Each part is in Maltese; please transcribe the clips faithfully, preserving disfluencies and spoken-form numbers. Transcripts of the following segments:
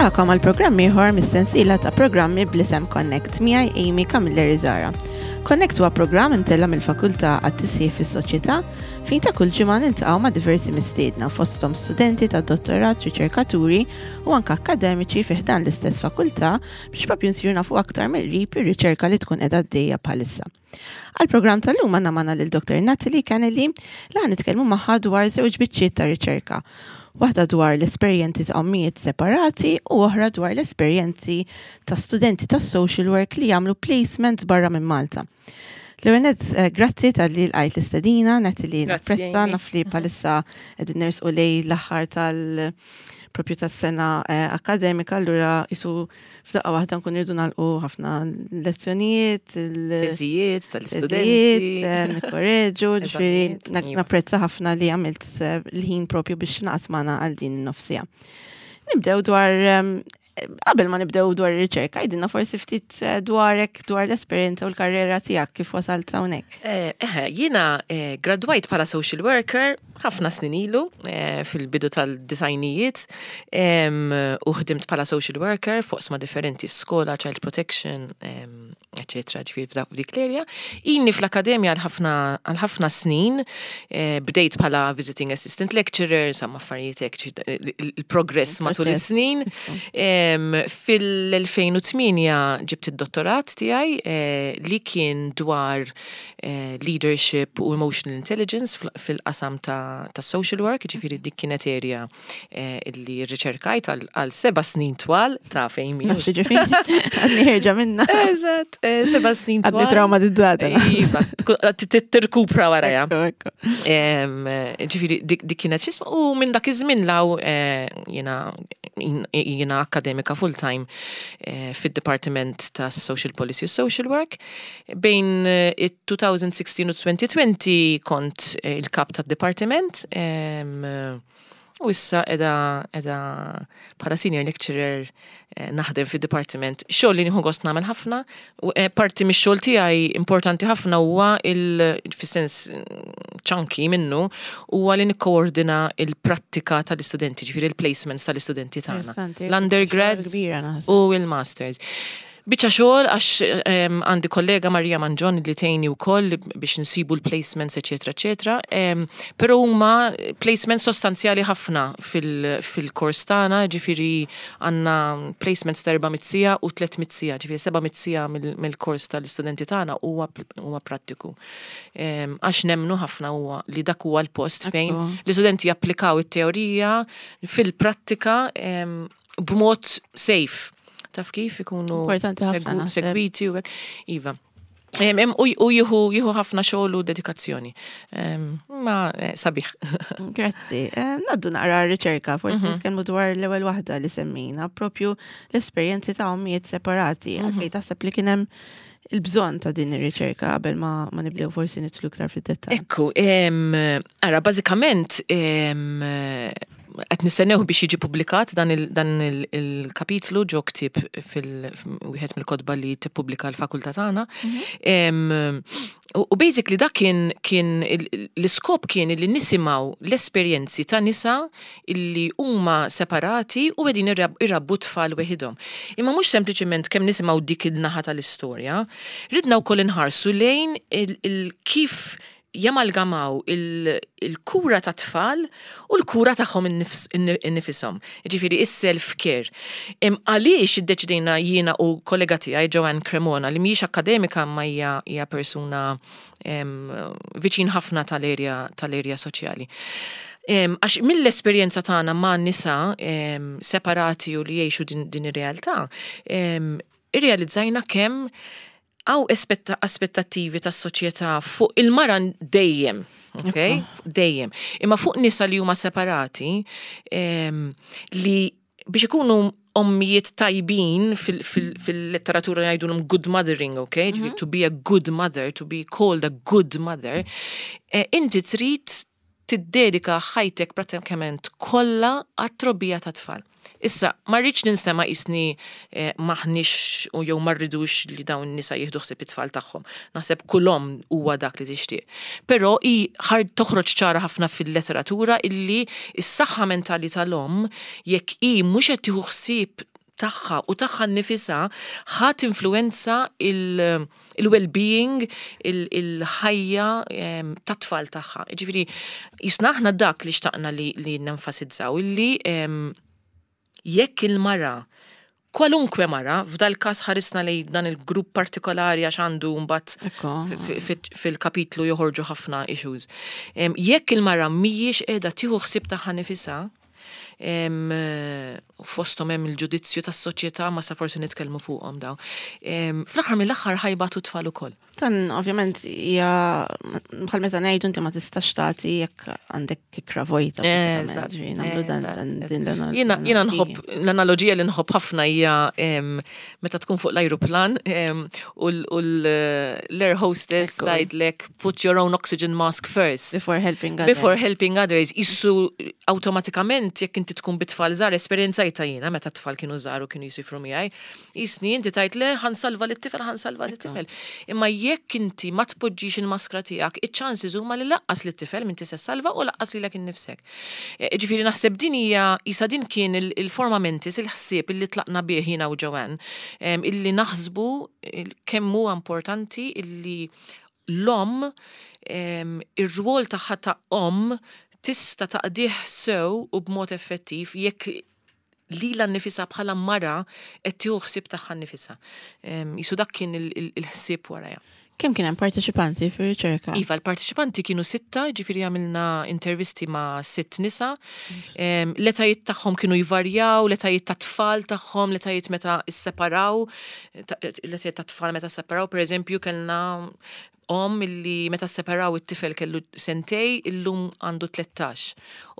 Nilqagħkom għal programm ieħor mis-sensiela ta' programmi bl-isem Connect miegħi Amy Camilleri Zara. Connect huwa programm imtella mill-Fakultà għat-Tisħiħ fis-Soċjetà fejn ta' kull ġimgħa niltaqgħu ma' diversi mistiedna fosthom studenti ta' dottorat, riċerkaturi u anke akkademiċi fi ħdan l-istess fakultà biex propju nsiru nafu aktar mill-qrib ir-riċerka li tkun qiegħda għaddejja bħalissa. Għal-programm tal-lum għandna magħna lil Dr. Natalie Kennelly li ħa nitkellmu magħha dwar żewġ biċċiet ta' riċerka. Waħda dwar l-esperjenzi ta' ommijiet separati u oħra dwar l-esperjenzi ta' studenti ta' social work li jagħmlu placements barra minn Malta. L-ewwel nett, eh, grazzi talli lqajt l-istedina, Natalie Grazzi, napprezza, Amy. naf li bħalissa qegħdin nersqu lejn l-aħħar tal- propju tas-sena eh, akademika, allura jisu f'daqqa waħda nkun irridu nagħlqu ħafna lezzjonijiet, il- Teżijiet teżijiet, tal-istudenti. eh, nikkoreġu, ġifieri Eżamijiet, na- iva. napprezza ħafna li għamilt eh, l-ħin propju biex naqas magħna għal din in-nofs siegħa. Nibdew dwar em, qabel ma nibdew dwar ir-riċerka, għidilna forsi ftit eh, dwarek, dwar l-esperjenza u l-karriera tiegħek kif wasalt hawnhekk. Eh, Eħe, jiena eh, gradwajt bħala social worker ħafna snin ilu eh, fil-bidu tal-disgħinijiet em, u ħdimt bħala social worker fuq oqsma differenti skola, child protection, em, eccetera, ġifieri f'dak f'dik l-area. Inni fl-akademja għal ħafna għal ħafna snin, eh, bdejt bħala visiting assistant lecturer, insomma affarijiet hekk, ġifieri, il- il-progress matul Il-proċess. is-snin. Em, Fil-elfejn u tmienja ġibt id-dottorat tiegħi eh, li kien dwar eh, leadership u emotional intelligence fil- fil-qasam ta', ta' social work, ġifieri dik kienet area eh, illi riċerkajt għal- għal seba' snin twal ta' fejn mi. Nafx ġifieri, għadni ħierġa minna. Eżatt, eh, seba' snin twal. Għadni traumatizzata. Iva, tkun- tirkupra waraja. Ekku, ekku. Em, Ġifieri, dik dik kienet xisma, u minn dak iż-żmien 'l hawn eh, jiena jiena akademika full-time eh, fid-Departiment ta' Social Policy u Social Work. Bejn eh, it-elfejn u sittax u elfejn u għoxrin kont eh, il-kap tad-departiment em, u issa edha, edha bħala senior lecturer eh, naħdem fid-departiment. Xogħol li nieħu gost nagħmel ħafna, u eh, parti mix-xogħol tiegħi importanti ħafna huwa il fis-sens chunky minnu huwa li nikkoordina il-prattika tal-istudenti, ġifieri il-placements tal-istudenti tagħna. Interessanti. L-undergrads Kbira naħseb. u il-masters. Biċċa xogħol għax em, għandi kollega Maria Manġon li tgħinni wkoll biex nsibu l-placements, eċetera, eċetera. Em, Però huma placements sostanzjali ħafna fil- fil-kors tagħna, ġifieri għandna placements ta' erba' mitt siegħa u tliet mitt siegħa, ġifieri seba' mitt siegħa mill- mill-kors tal-istudenti tagħna huwa huwa prattiku. Em, Għax nemmnu ħafna huwa li dak huwa l-post fejn Ekku. l-istudenti japplikaw it-teorija fil-prattika em, b'mod safe. Taf kif ikunu Importanti ħafna, segu- naħseb. segwiti u hekk. Iva. Em, em, U u jieħu jieħu ħafna xogħol u dedikazzjoni. Em, Ma eh, sabiħ. Grazzi. Eh, Ngħaddu naqra r-riċerka, forsi Mhm. nitkellmu dwar l-ewwel waħda li semmejna, propju l-esperjenzi ta' ommijiet separati. Mhm. Għalfejn taħseb li kien hemm il-bżonn ta' din ir-riċerka qabel ma, ma nibdew forsi nidħlu iktar fid-dettall. Ekku, em, ara, bażikament, em, qed nistennew biex jiġi publikat dan il- dan il- il-kapitlu ġo ktieb fil-wieħed mill-kotba li tippubblika l-fakultà tagħna. Em, U u basically dak kien kien il- l-iskop kien li nisimgħu l-esperjenzi ta' nisa illi huma separati u qegħdin irrab- irabbu tfal weħidhom. Imma mhux sempliċement kemm nisimgħu dik il-naħa tal-istorja, ridna wkoll inħarsu lejn il- il- kif jamalgamaw il- il-kura ta' tfal u l-kura tagħhom innifs- innifisom. Ġifieri is-self-care. Em, Għaliex iddeċidejna jiena u kollega tiegħi Joanne Cremona li mhijiex akademika ma hija hija persuna em, viċin ħafna tal-erja tal-erja soċjali. Em, Għax mill-esperjenza tagħna ma' nisa em, separati u li jgħixu din, din ir-realtà, em, irrealizzajna kemm hawn aspettattivi tas soċjetà fuq il-mara dejjem, ok? Dejjem. Imma fuq nisa li huma separati, em, li biex ikunu ommijiet tajbin fil-letteratura jgħidulhom good mothering, ok? Mm -hmm. To be a good mother, to be called a good mother, eh, inti trid tiddedika ħajtek pratikament kollha għat-trobbija ta' tfal. Issa, ma rridx ninstema' qisni eh, m'aħniex u jew ma rridux li dawn nisa jieħdu ħsieb it-tfal tagħhom. Naħseb kull omm huwa dak li tixtieq. Però i ħard toħroġ ċara ħafna fil-letteratura illi s-saħħa mentali tal-omm jekk i mhux qed tieħu ħsieb tagħha u tagħha nnifisha ħa tinfluwenza il-well-being, il-ħajja tat-tfal tagħha. Ġifieri, jisna aħna dak li xtaqna li, li nenfasizzaw, illi jekk il-mara, kwalunkwe mara, f'dal każ ħarisna li dan il-grupp partikolari għax għandu mbagħad fil-kapitlu joħorġu ħafna issues. Jekk il-mara mhijiex qiegħda tieħu ħsieb tagħha nifisha, fosthom hemm il-ġudizzju tas-soċjetà, ma sa forsi nitkellmu fuqhom daw. Fl-aħħar mill-aħħar ħa jbatu tfal ukoll. Dan ovvjament hija bħal meta ngħidu inti ma tistax tagħti jekk għandek kikra vojta. Jiena jiena nħobb l-analogija li nħobb ħafna hija meta tkun fuq l-ajruplan u l-air hostess tgħidlek, "Put your own oxygen mask first." Before helping others. Before helping others. Issu awtomatikament jekk inti tkun bit-tfal żgħar, esperjenzajtha jiena meta t-tfal kienu żgħar u kienu jsifru miegħi. Jisni inti tgħid, "Le, ħa nsalva lit-tifel, ħa nsalva lit-tifel." Imma jekk inti ma tpoġġix il-maskra tiegħek, iċ-chances huma li lanqas lit-tifel m'inti se salva u lanqas lilek innifsek. E, ġifieri naħseb din hija isa din kien il-forma mentis, il-ħsieb illi tlaqna bih jiena u Joanne, illi naħsbu kemm huwa importanti illi l-om, ir-rwol tagħha ta' om tista' taqdih sew u b'mod effettiv jekk lilha nnifisha bħala mara qed tieħu ħsieb tagħha nnifisha. Jisu dak kien il-ħsieb warajha. Kemm kien hemm parteċipanti fir-riċerka? Iva, l-parteċipanti kienu sitta, ġifieri għamilna intervisti ma' sitt nisa. L-etajiet tagħhom kienu jvarjaw, l-etajiet ta' tfal tagħhom, l-etajiet meta isseparaw, l-etajiet ta' tfal meta sseparaw, per eżempju, kellna om illi meta separaw it-tifel kellu sentej, illum għandu tlettax.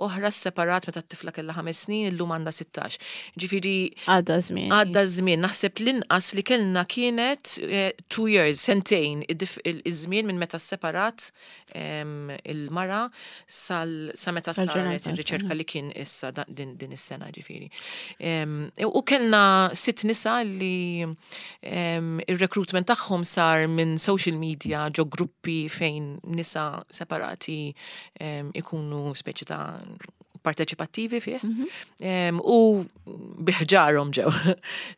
Oħra separat meta t-tifla kellha ħames snin, illum għandha sittax. Ġifieri Għadda żmien. Għadda żmien. Naħseb l-inqas li kellna kienet eh, two years, sentejn, iż-żmien minn meta separat il-mara sal sa meta saret ir-riċerka li kien issa din, din is-sena ġifieri. U kellna sitt nisa li ir-recruitment tagħhom sar minn social media, ġo gruppi fejn nisa separati ikunu speċi ta' parteċipattivi fih. Mhm. U bi ħġarhom ġew.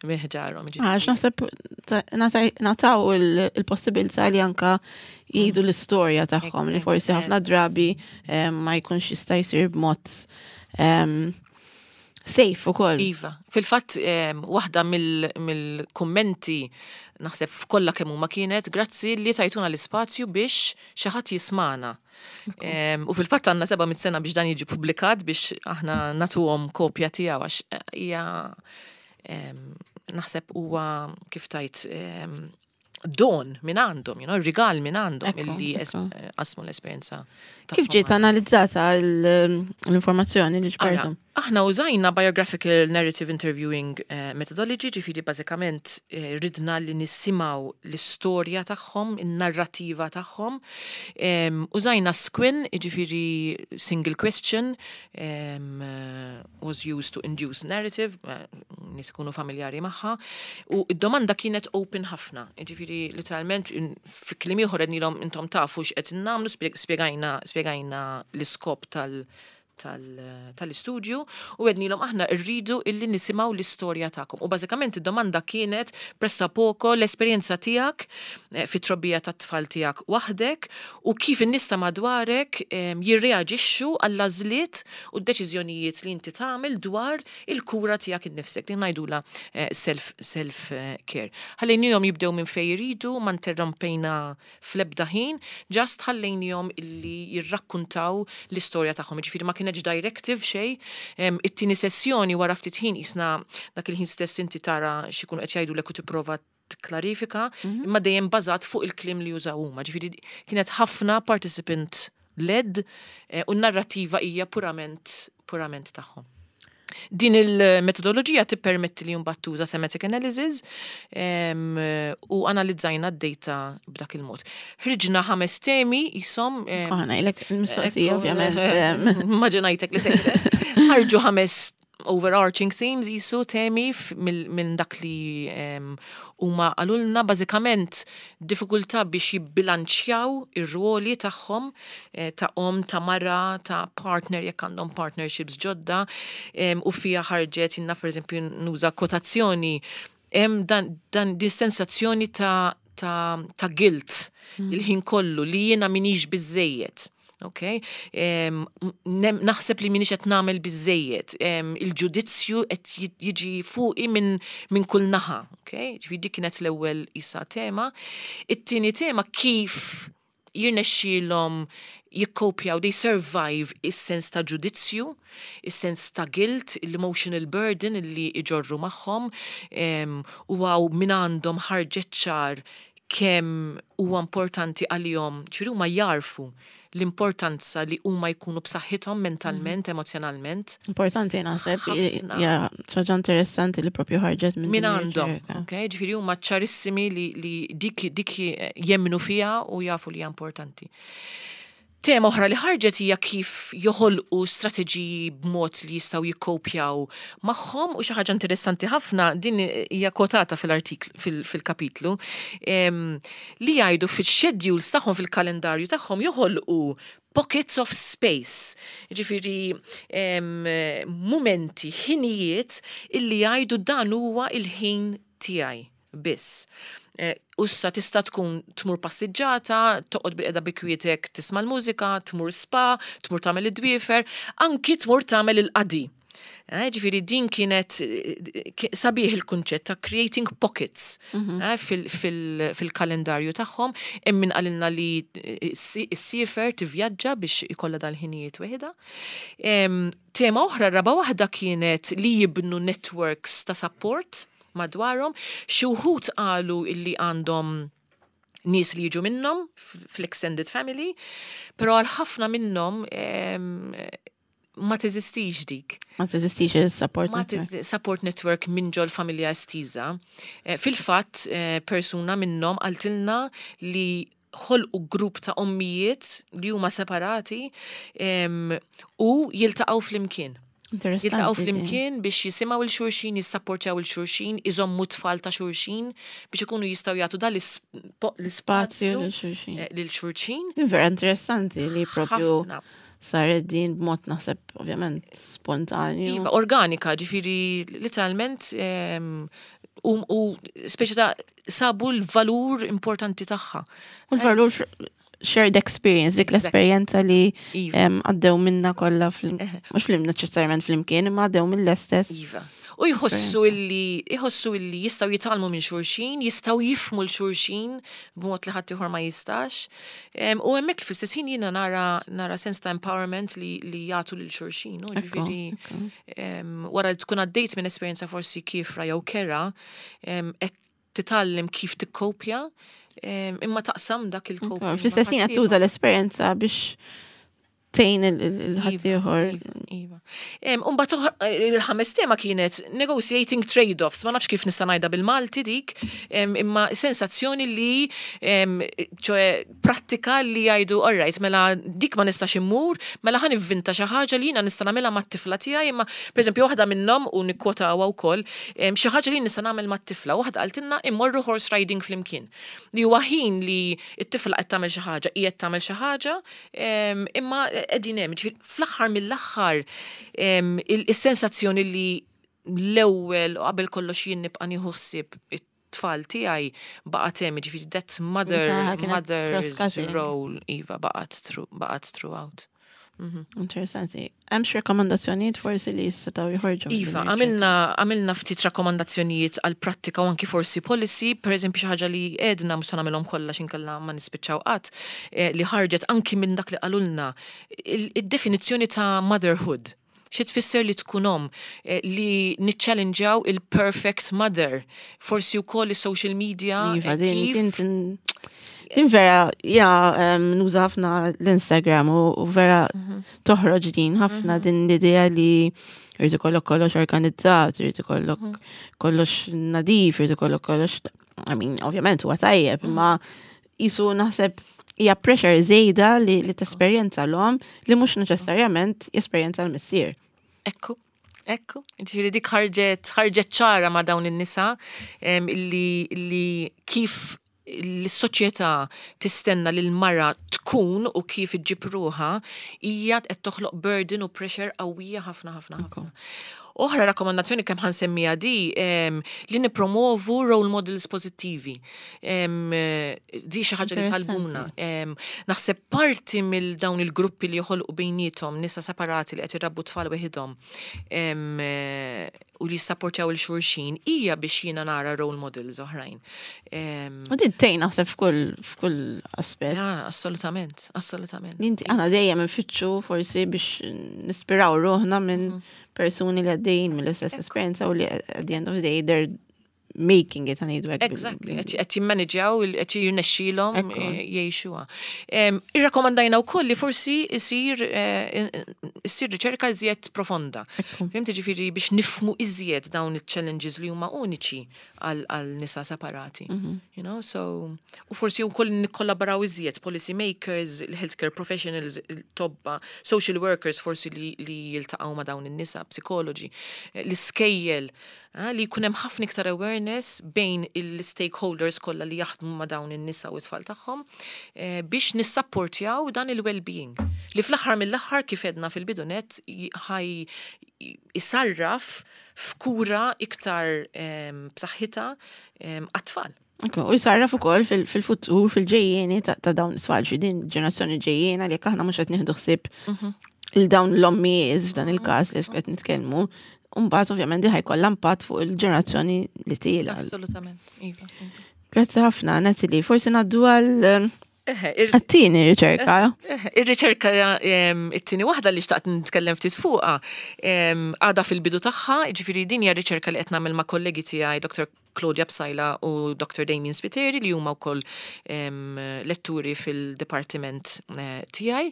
Bi ħġarhom. Għax naħseb nataw il-possibilità li anka jgħidu l-istorja tagħhom li forsi ħafna drabi ma jkunx jista' jsir b'mod safe ukoll. Iva, fil-fatt waħda mill-kummenti naħseb f'kollha kemm huma kienet, "Grazzi li tajtuna l-ispazju biex xi ħadd jismagħna." U fil-fatt għandna seba' mit sena biex dan jiġi publikat biex aħna nagħtuhom kopja tiegħu għax hija naħseb huwa kif tajt don minn għandhom, you know, rigal minn għandhom illi qasmu l-esperjenza. Kif ġiet analizzata l-informazzjoni li ġbartu? Aħna użajna biographical narrative interviewing eh, methodology, ġifieri bażikament eh, ridna li nisimgħu l-istorja tagħhom, in-narrativa tagħhom. Użajna SQUIN, ġifieri single question, was used to induce narrative, eh, nies ikunu familjari magħha, u id-domanda kienet open ħafna, ġifieri literalment fi kliem ieħor għednielhom, "Intom tafu x'qed nagħmlu," spjegajna spjegajna l-iskop tal- tal-istudju u għednielhom, "Aħna rridu illi nisimgħu l-istorja tagħkom." U bażikament id-domanda kienet pressappoco l-esperjenza tiegħek eh, fit-trobbija tat-tfal tiegħek waħdek u kif in-nies ta' madwarek jirreaġixxu għall-għażliet u d-deċiżjonijiet li inti tagħmel dwar il-kura tiegħek innifsek, li ngħidula eh, self self eh, care. Ħallejnihom jibdew minn fejn jridu, ma interrompejna fl-ebda ħin, just ħallejnihom illi jirrakkuntaw l-istorja tagħhom. Ġifieri ma kienet directive xejn. It-tieni sessjoni wara ftit ħin jisna dak il-ħin stess inti tara x'ikunu qed jgħidu u tipprova tikklarifika, mhm. imma dejjem bażat fuq il-kliem li jużaw huma. Ġifieri kienet ħafna participant led eh, u n-narrativa hija purament purament tagħhom. Din il-metodoloġija tippermetti li mbagħad tuża thematic analysis u analizzajna d-data b'dak il-mod. Ħriġna ħames temi jisom. Aħna, ilek il-mistoqsija, ovvjament. Immaġinajtek li sejra. Ħarġu ħames overarching themes jisu temi f- mill- minn dak li em, huma qalulna, bażikament diffikultà biex jibbilanċjaw ir-ruoli tagħhom eh, ta' om, ta' mara, ta' partner jekk għandhom partnerships ġodda em, u fija ħarġet jiena, per eżempju, nuża kwotazzjoni, hemm dan, dan din sensazzjoni ta' ta', ta' guilt il-ħin kollu li jiena minix biżejjed. Ok? Em, nem- naħseb li minix qed nagħmel biżejjed. Em, Il-ġudizzju qed ji- jiġi fuqi minn min kull naħa. Ok? Ġifieri dik kienet l-ewwel isa tema. It-tieni tema, kif jirnexxielhom jikkopjaw, they survive is-sens ta' ġudizzju, is-sens ta' guilt, l-emotional burden li iġorru magħhom, em, u għaw minn għandhom ħarġet ċar kemm huwa importanti għalihom, ġifieri huma jarfu l-importanza li huma jkunu b'saħħithom mentalment, emozjonalment. Importanti naħseb, Ħafna. ja, ħaġa interessanti li propju ħarġet minn Min din għandhom, ir-riċerka. Ok? Ġifieri huma ċarissimi li, li dik, dik jemmnu fija u jafu li hija importanti. Tema oħra li ħarġet hija kif joħolqu strateġiji b'mod li jistgħu jikkopjaw magħhom, u xi ħaġa interessanti ħafna, din hija kwotata fil-artiklu fil-kapitlu, em, li jgħidu fil-schedules tagħhom, fil-kalendarju tagħhom, joħolqu pockets of space. Ġifieri em, mumenti, ħinijiet illi jgħidu dan huwa il-ħin tiegħi biss. Eh, Ussa tista' tkun tmur passiġġata, toqgħod bilqiegħda bi kwietek tisma' l-mużika, tmur spa, tmur tagħmel id-dwiefer, anki tmur tagħmel il-qadi. Eh, Ġifieri din kienet eh, ki- sabiħ il-kunċett ta' creating pockets eh, fil- fil- fil-kalendarju tagħhom. Hemm min qalilna li eh, ssiefer, tivvjaġġa biex ikollha dal-ħinijiet weħida. Em, Tema oħra, raba waħda, kienet li jibnu networks ta' support madwarhom. Xi wħud qalu illi għandhom nies li jiġu minnhom f- fl-extended family, però għal ħafna minnhom em, ma teżistix dik. Ma teżistix il-support Ma network. teżi- support network minn ġol familja estiża. Eh, Fil-fatt, eh, persuna minnhom qaltilna li ħolqu grupp ta' ommijiet li huma separati em, u jiltaqgħu flimkien. Interessanti. Jiltaqgħu din. flimkien biex jisimgħu 'l xulxin, jissapportjaw 'il xulxin, iżommu tfal ta' xulxin biex ikunu jistgħu jagħtu dan Spazju l-ispazju lil xulxin. eh, lil xulxin. Din vera interessanti li propju Ħafna. saret din b'mod, naħseb, ovvjament spontanju. Iva, organika, ġifieri literalment em, u, u speċi ta' sabu l-valur importanti tagħha. U l-valur shared experience, dik l-esperjenza li Iva. em, għaddew minna kollha fl Eħe. mhux flim neċessarjament flimkien, imma għaddew mill-istess. Iva. U jħossu illi jħossu illi jistgħu jitgħallmu minn xulxin, jistgħu jifhmu 'l xulxin b'mod li ħadd ieħor ma jistax. Em, U hemmhekk fl-istess ħin jiena nara nara sens ta' empowerment li, li jagħtu lil xulxin. U Ekku, ġifieri ekku. em, wara li tkun għaddejt minn esperjenza forsi kiefra jew kerha, em, qed titgħallem kif tikkopja, em, imma taqsam dak il-coping. Fl-istess ħin qed tuża l-esperjenza biex tgħin il-ħaddieħor. Iva. Imbagħad il-ħames tema kienet negotiating trade-offs, ma nafx kif nista' ngħidha bil-Malti dik, em, imma sensazzjoni li em, ċoè prattika li jgħidu, alright, mela dik ma nistax immur, mela ħa nivvinta xi ħaġa li jiena nista' nagħmilha mat-tifla tiegħi, imma pereżempju waħda minnhom, u nikkwotawha wkoll, em, xi ħaġa li nista' nagħmel mat-tifla, waħda qaltilna immorru horse riding flimkien. Li huwa ħin li t-tifla qed tagħmel xi ħaġa, qiegħed tagħmel xi ħaġa, em, imma qegħdin hemm, ġifieri fl-aħħar mill-aħħar em, il- is-sensazzjoni li l-ewwel u qabel kollox jien nibqa' nieħu ħsieb it-tfal tiegħi baqgħet hemm, ġifieri that mother Iva, kienet mother's cross-cutting. role, iva, baqgħet through baqgħet throughout. Interessanti. Hemm xi rakkomandazzjonijiet forsi li jistgħu joħorġu minn Iva, din għamilna għamilna ftit rakkomandazzjonijiet għal prattika u anki forsi policy, per eżempju xi ħaġa li għedna, mhux se nagħmilhom kollha x'inkella ma nispiċċaw qatt, eh, li ħarġet anki minn dak li qalulna, il- id-definizzjoni ta' motherhood. Xi tfisser li tkun om, eh, li niċċallenġaw il-perfect mother, forsi wkoll is-social media. Iva, eh, din, kif- din, din, din vera, ja, em, nuża ħafna l-Instagram u, u vera Mhm. toħroġ din ħafna din l-idea li jrid ikollok kollox organizzat, jrid ikollok Mhm. kollox nadif, jrid ikollok kollox, I mean, ovvjament huwa tajjeb, Mhm. imma jisu naħseb hija pressure żejda li, li tesperjenza l-om li mhux neċessarjament jesperjenza l-missier. Ekku. Ekku, ġifieri dik ħarġet ħarġet ċara ma' dawn in-nisa em, illi, illi kif l-soċjetà tistenna li l-mara tkun u kif iġġib ruħha hija qed toħloq burden u pressure qawwija ħafna ħafna ħafna. Oħra rakkomandazzjoni kemm ħa nsemmija di em, li nipromovu role models pozittivi. Em, eh, Di xi ħaġa li talbuna. Em, Naħseb parti mill dawn il-gruppi li joħolqu bejniethom nisa separati li qed irabbu tfal weħidhom em, eh, u li jissapportjaw lil xulxin hija biex jiena nara role models oħrajn. Em, U din tgħin naħseb f'kull f'kull aspett. Ja, assolutament, assolutament. Inti aħna dejjem nfittxu forsi biex nispiraw ruħna minn persuni li għaddejjin mill-istess esperjenza u li at the end of the day they're making it, ħa ngħidu hekk. bil- Exactly, bil- qed qed jimmanġjaw, qed jirnexxilhom Ekku. eh, jgħixuha. Em, Irrakkomandajna wkoll li forsi isir eh, issir riċerka iżjed profonda. Ekku. Fhimt, ġifieri biex nifhmu iżjed dawn il-challenges li huma uniċi għal għal nisa separati. You know, so u forsi wkoll nikkollaboraw iżjed policy makers, il-healthcare professionals, il-tobba, social workers forsi li, li jiltaqgħu ma' dawn in-nisa, psikoloġi, eh, l-iskejjel, eh, li jkun hemm ħafna iktar awareness bejn il-stakeholders kollha li jaħdmu ma' dawn in-nisa u t-tfal tagħhom eh, biex nissapportjaw dan il-well-being. Li fl-aħħar mill-aħħar, kif edna fil-bidunet, j- ħaj jisarraf f'kura iktar em, b'saħħitha em, għat-tfal. Ekku, u jisarraf ukoll fil- fil-futur, fil-ġejjieni ta' ta' dawn it-tfal, xi din ġenerazzjoni ġejjiena li jekk aħna mhux qed nieħdu ħsieb il dawn l-ommijiet f'dan il-każ li qed nitkellmu, mbagħad ovvjament di ħa jkollha impatt fuq il-ġenerazzjoni li tiela. Assolutament, iva. Iva. Grazzi ħafna, Natalie. Forsi ngħaddu għal Eħe, ir- għat-tieni riċerka. Eh, Ir-riċerka em, it-tieni waħda li xtaqt nitkellem ftit fuqha em, għadha fil-bidu tagħha, ġifieri din hija riċerka li qed nagħmel ma' kollegi tiegħi Doctor Claudia Psaila u Doctor Damien Spiteri, li huma wkoll em, letturi fil-dipartiment eh, tiegħi.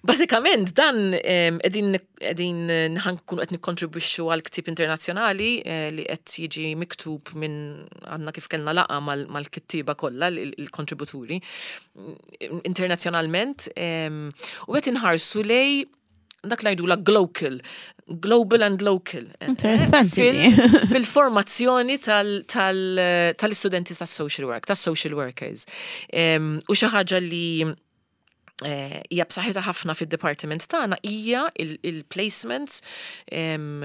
Bażikament dan em, qegħdin qegħdin ħa nkunu qed nikkontribwixxu għal ktieb internazzjonali eh, li qed jiġi miktub minn għandna kif kellna laqgħa mal- mal-kittieba kollha, il- il-kontributuri internazzjonalment em, u qed inħarsu lej dak li la global, global and local. eh, Interessanti. fil- Fil-formazzjoni tal- tal- tal-istudenti tas-social work, tas-social workers. Em, U xi ħaġa li eh, hija b'saħħitha ħafna fid-departiment tagħna hija il-placements. em,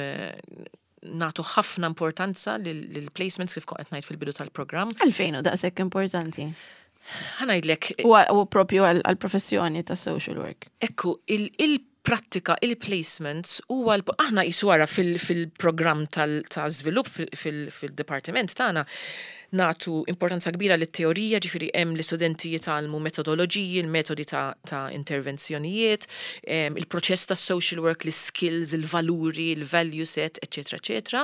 Nagħtu ħafna importanza lill-placements, kif kont qed ngħid fil-bidu tal-programm. Għalfejn u daqshekk importanti? Ħa ngħidlek. U u propju għal-professjoni ta' social work. Ekku, il-prattika, il-placements, u għal aħna jiswara fil-programm ta' żvilupp fil-departiment tagħna nagħtu importanza kbira lit-teorija, ġifieri hemm l-istudenti jitgħallmu metodoloġiji, il-metodi ta', ta intervenzjonijiet, em, il-proċess ta' social work, l-skills, il-valuri, il-value set, eccetera, eccetera.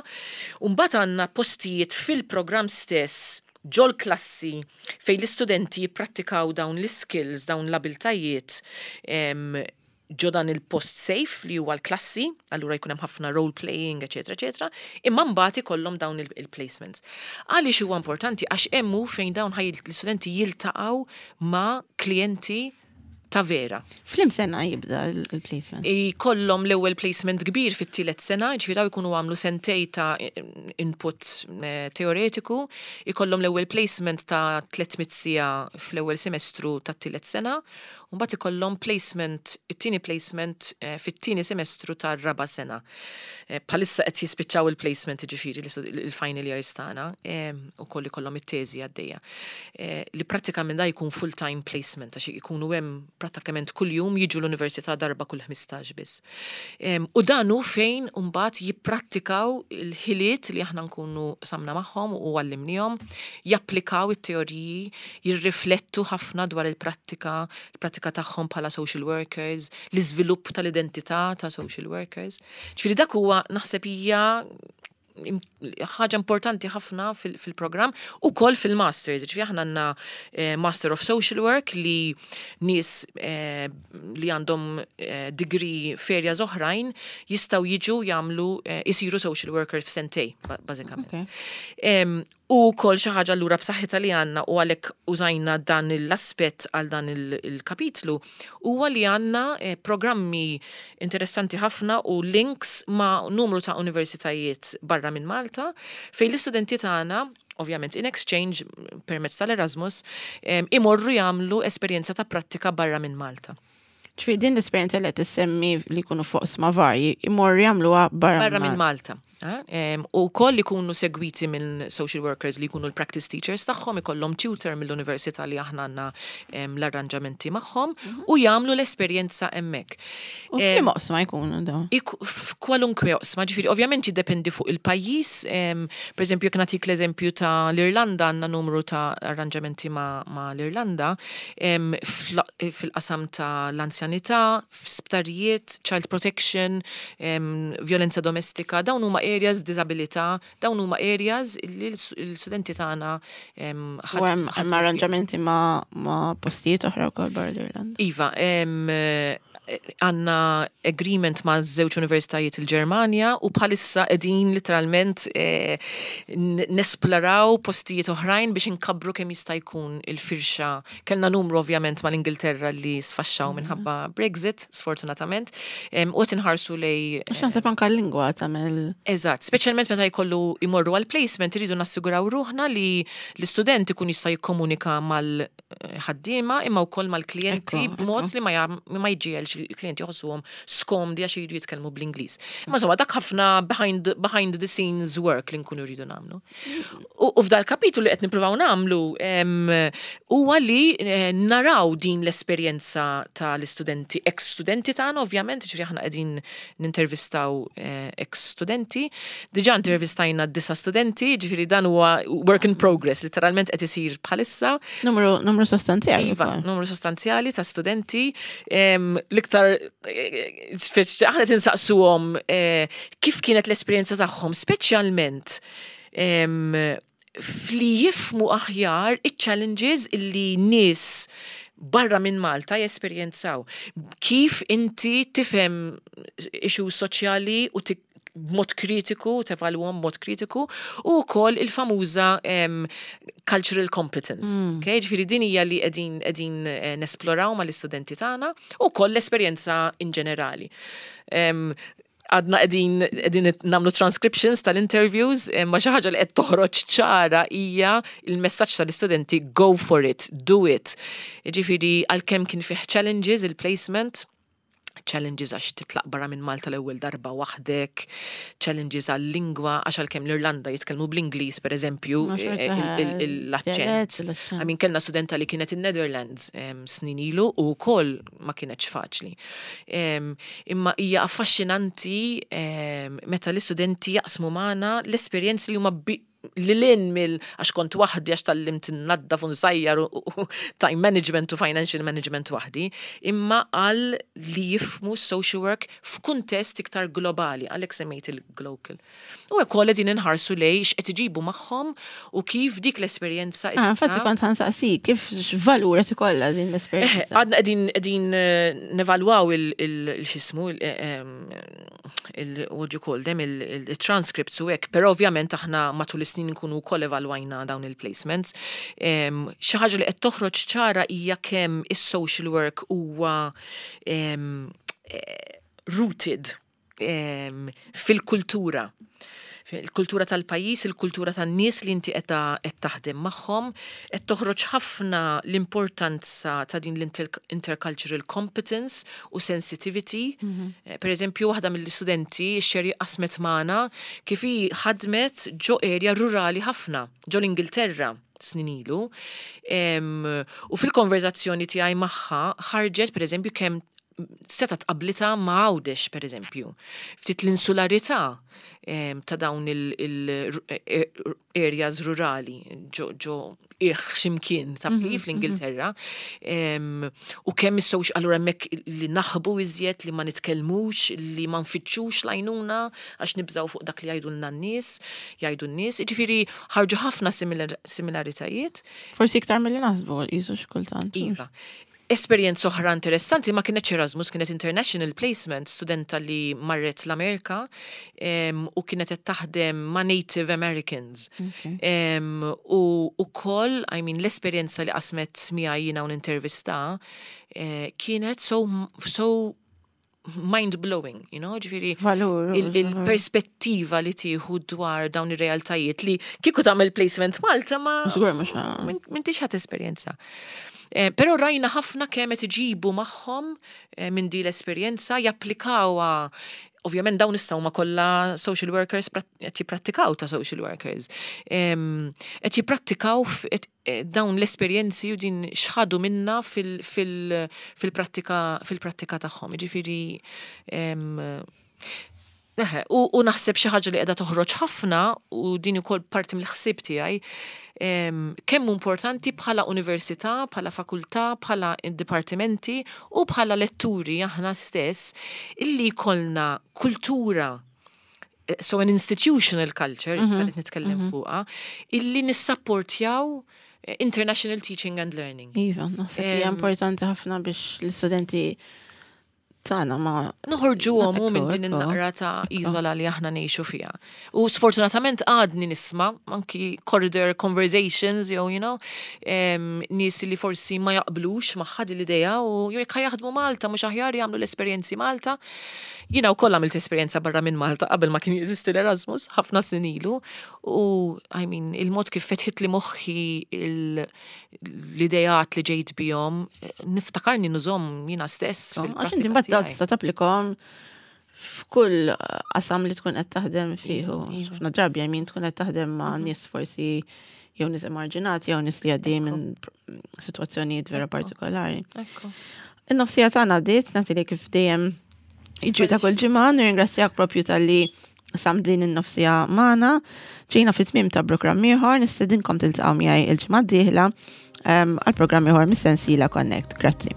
Umbagħad għandna postijiet fil-programm stess ġol klassi fejn l-istudenti jipprattikaw dawn l-skills, dawn l-abiltajiet em, ġo dan il-post safe li huwa l-klassi, allura jkun hemm ħafna role playing, eċetera, eċetera, imma mbagħad ikollhom dawn il- il-placements. Għaliex huwa importanti? Għax hemm hu fejn dawn ħaj l-istudenti jiltaqgħu ma' klijenti ta' vera. F'liema sena jibda il-placement? Ikollhom l-ewwel placement kbir fit-tielet sena, ġifieri daw jkunu għamlu sentej ta' input eh, teoretiku, ikollhom l-ewwel placement ta' tliet mitt siegħa fl-ewwel semestru tat-tielet sena, u mbagħad ikollhom placement, it-tieni placement eh, fit-tieni semestru tar-raba' sena. Eh, Bħalissa qed jispiċċaw il-placement, ġifieri il-final years tagħna, ukoll ikollhom it-teżi għaddejja. Eh, Li prattikament da jkun full-time placement għax ikunu hemm prattikament kuljum, jiġu l-università darba kull ħmistax biss. Em, U dan hu fejn mbagħad jipprattikaw il-ħiliet li aħna nkunu qsamna magħhom u għallimnihom, japplikaw it-teoriji, jirriflettu ħafna dwar il-prattika, il-prattika tagħhom bħala social workers, l-iżvilupp tal-identità ta' social workers. Ġifieri dak huwa naħseb hija im- ħaġa importanti ħafna fil- fil-programm u koll fil-masters. Ġifieri aħna għandna eh, Master of Social Work li nies eh, li għandhom eh, degree f'areas oħrajn jistgħu jiġu jagħmlu eh, isiru social worker f'sentej, ba- bażikament. Okay. Em, U kull xi ħaġa allura b'saħħitha li għandna u għalhekk użajna dan l-aspett għal dan il-kapitlu huwa li għandna eh, programmi interessanti ħafna u links ma' numru ta' universitajiet barra minn Malta fejn l-istudenti tagħna, ovvjament in exchange permezz tal-Erasmus, imorru jagħmlu esperjenza ta' prattika barra minn Malta. Ġifieri din l-esperjenza li qed issemmi li jkunu fuq oqsma varji, imorru jagħmluha barra barra minn Malta. U koll ikunu segwiti minn social workers li jkunu l-practice teachers tagħhom, ikollhom tutor mill-università li aħna għandna l-arranġamenti magħhom mhm. u jagħmlu l-esperjenza hemmhekk. U f'liema oqsma jkunu dawn? F'kwalunkwe oqsma, ġifieri ovvjament jiddependi fuq il-pajjiż, per eżempju, jekk nagħtik l-eżempju ta' l-Irlanda, għandna numru ta' arranġamenti ma' l-Irlanda fil-qasam ta' l-anzjanità, f'sptarijiet, child protection, violenza domestika, dawn huma areas, disabilità, dawn huma areas li l-studenti tagħna. U hemm arranġamenti ma' postijiet oħra wkoll barra l-Irlanda. Iva, għandna agreement ma' żewġ universitajiet il-Ġermanja u bħalissa qegħdin literalment eh, nesploraw postijiet oħrajn biex inkabbru kemm jista' jkun il-firxa. Kellna numru ovvjament mal-Ingilterra li sfaxxaw mhm. minħabba Brexit, sfortunatament, u qed inħarsu lej. Għax naħseb anke l-lingwa tagħmel. Eżatt, speċjalment meta jkollu imorru għal placement, iridu nassiguraw ruħna li l-istudent ikun jista' jikkomunika mal-ħaddiema imma wkoll mal-klijenti b'mod li ma jġiegħelx il-klijenti jħossuhom skomdi għax jridu jitkellmu bl-Ingliż. Imma insomma dak ħafna behind, behind the scenes work li nkunu rridu nagħmlu. U f'dal kapitlu li qed nippruvaw nagħmlu huwa li eh, naraw din l-esperjenza tal-istudenti, ex-studenti tagħna ovvjament, ġifieri aħna qegħdin nintervistaw eh, ex-studenti. Diġà intervistajna disa' studenti, ġifieri dan huwa work in progress, literalment qed isir bħalissa. Numru, numru sostanzjali. Iva, numru sostanzjali ta' studenti. L-iktar, eh, aħna tinsaqsuhom eh, kif kienet l-esperjenza tagħhom, speċjalment fli jifhmu aħjar iċ-challenges illi nies barra minn Malta jesperjenzaw. Kif inti tifhem issue soċjali u b'mod kritiku, tevalwhom b'mod kritiku, u wkoll il-famuża um, cultural competence. Mm. Okay? Ġifieri din hija li qegħdin qegħdin eh, nesploraw mal-istudenti tagħna u wkoll l-esperjenza in ġenerali. Um, għadna qegħdin qegħdin nagħmlu transcriptions tal-interviews, ma xi ħaġa li qed toħroġ ċara hija il-messaġġ tal-istudenti: go for it, do it. Ġifieri għalkemm kien fih challenges il-placement, challenges għax titlaq barra minn Malta l-ewwel darba waħdek, challenges għal-lingwa, għax għalkemm l-Irlanda jitkellmu bl-Ingliż, per eżempju, l-aċċent. I mean, kellna studenta li kienet in-Netherlands snin ilu u wkoll ma kienetx faċli. Imma hija affaxxinanti meta l-istudenti jaqsmu magħna l-esperjenzi li huma li lin mill għax kont waħdi, għax tgħallimt naddaf u nsajjar u time management u financial management waħdi, imma għal li jifhmu social work f'kuntest iktar globali, għalhekk semmejt il-global. U hekk qegħdin inħarsu lej x'qed iġibu magħhom u kif dik l-esperjenza. Ah, infatti kont ħa nsaqsi, kif x'valur qed ikollha din l-esperjenza? Għadna qegħdin qegħdin eh, nevalwaw il-xismu, il what you call them, il-transcripts u hekk, però ovvjament aħna matul is-snin nkunu wkoll evalwajna dawn il-placements. Xi ħaġa li qed toħroġ ċara hija kemm is-social work huwa eh, rooted fil-kultura il-kultura tal-pajjiż, il-kultura tan-nies li inti qed taħdem magħhom, qed toħroġ ħafna l-importanza ta' din l-intercultural competence u sensitivity. Mm -hmm. Per eżempju, waħda mill-istudenti xeri qasmet magħna kif hi ħadmet ġo area rurali ħafna, ġo l-Ingilterra snin ilu. U fil-konverzazzjoni tiegħi magħha ħarġet, per eżempju, kemm seta tqabblitha ma' Għawdex, per eżempju. Ftit l-insularità ta' dawn il-areas rurali ġo iħ ximkien ta' mhm, fl-Ingilterra. U kemm is-social, allura hemmhekk li naħbu iżjed, li ma nitkellmux, li ma nfittxux l-għajnuna għax nibżaw fuq dak li jgħidu n-nies, jgħidu n-nies. Ġifieri ħarġu ħafna similaritajiet. Forsi iktar milli naħsbu jisu xkultant. Iva. Esperjenza oħra interessanti ma kienetx Erasmus, kienet International Placement, studenta li marret l-Amerika em, u kienet qed taħdem ma' Native Americans. Okay. Em, u ukoll, I mean, l-esperjenza li qasmet miegħi jiena u nintervista eh, kienet so, so mind-blowing, you know, ġifieri Valur. il- il-perspettiva li tieħu dwar dawn ir-realtajiet li kieku tagħmel placement Malta ma Żgur mhux ħa- min- m'intix ħadd esperjenza. Eh, Però rajna ħafna kemm qed iġibu magħhom eh, minn di l-esperjenza japplikawha. Ovvjament dawn issa huma kollha social workers prat- qed jipprattikaw ta' social workers. Em, Qed jipprattikaw f- qed- eh, dawn l-esperjenzi u din x'ħadu minna fil- fil- fil-prattika fil-prattika tagħhom. Jiġifieri em, Eħe, u, u naħseb xi ħaġa li qiegħda toħroġ ħafna u din ukoll parti mill-ħsieb tiegħi em, kemm hu importanti bħala università, bħala fakultà, bħala dipartimenti u bħala letturi aħna stess illi jkollna kultura eh, so an institutional culture, issa li nitkellem fuqha, illi nissapportjaw eh, international teaching and learning. Iva, naħseb hija Em, importanti ħafna biex l-istudenti tagħna ma Noħorġuhom u minn Ekku, din ekku. in-naqra ta' iżola li aħna ngħixu fiha. U sfortunatament għadni nisma' anki corridor conversations jew you know, em, nies li forsi ma jaqblux magħha din l-idea u jew jekk jaħdmu Malta mhux aħjar jagħmlu l-esperjenzi Malta. Jiena wkoll għamilt esperjenza barra minn Malta qabel ma kien jeżisti l-Erasmus ħafna snin ilu u I mean il-mod kif fetħit li moħħi il- l-idejat li ġejt bihom niftakarni nużahom jiena stess Għax inti fil-prattika mbagħad dawn tiegħi. tista' tapplikhom f'kull qasam li tkun qed taħdem fih. Iva, iva. Ħafna drabi I mean tkun qed taħdem ma' nies forsi jew nies emarġinati jew nies li għaddej minn sitwazzjonijiet vera Ekku. partikolari. Ekku. In-nofsija tagħna għaddiet, nagħti li kif dejjem jiġri ta' kull ġimgħa, nirringrazzjak propju talli qsamt din in-nofsija magħna. Ġejna fit-tmiem ta' programm ieħor, nistedinkom tiltaqgħu miegħi il-ġimgħa d-dieħla em, għal programm ieħor mis-sensiela Connect. Grazzi.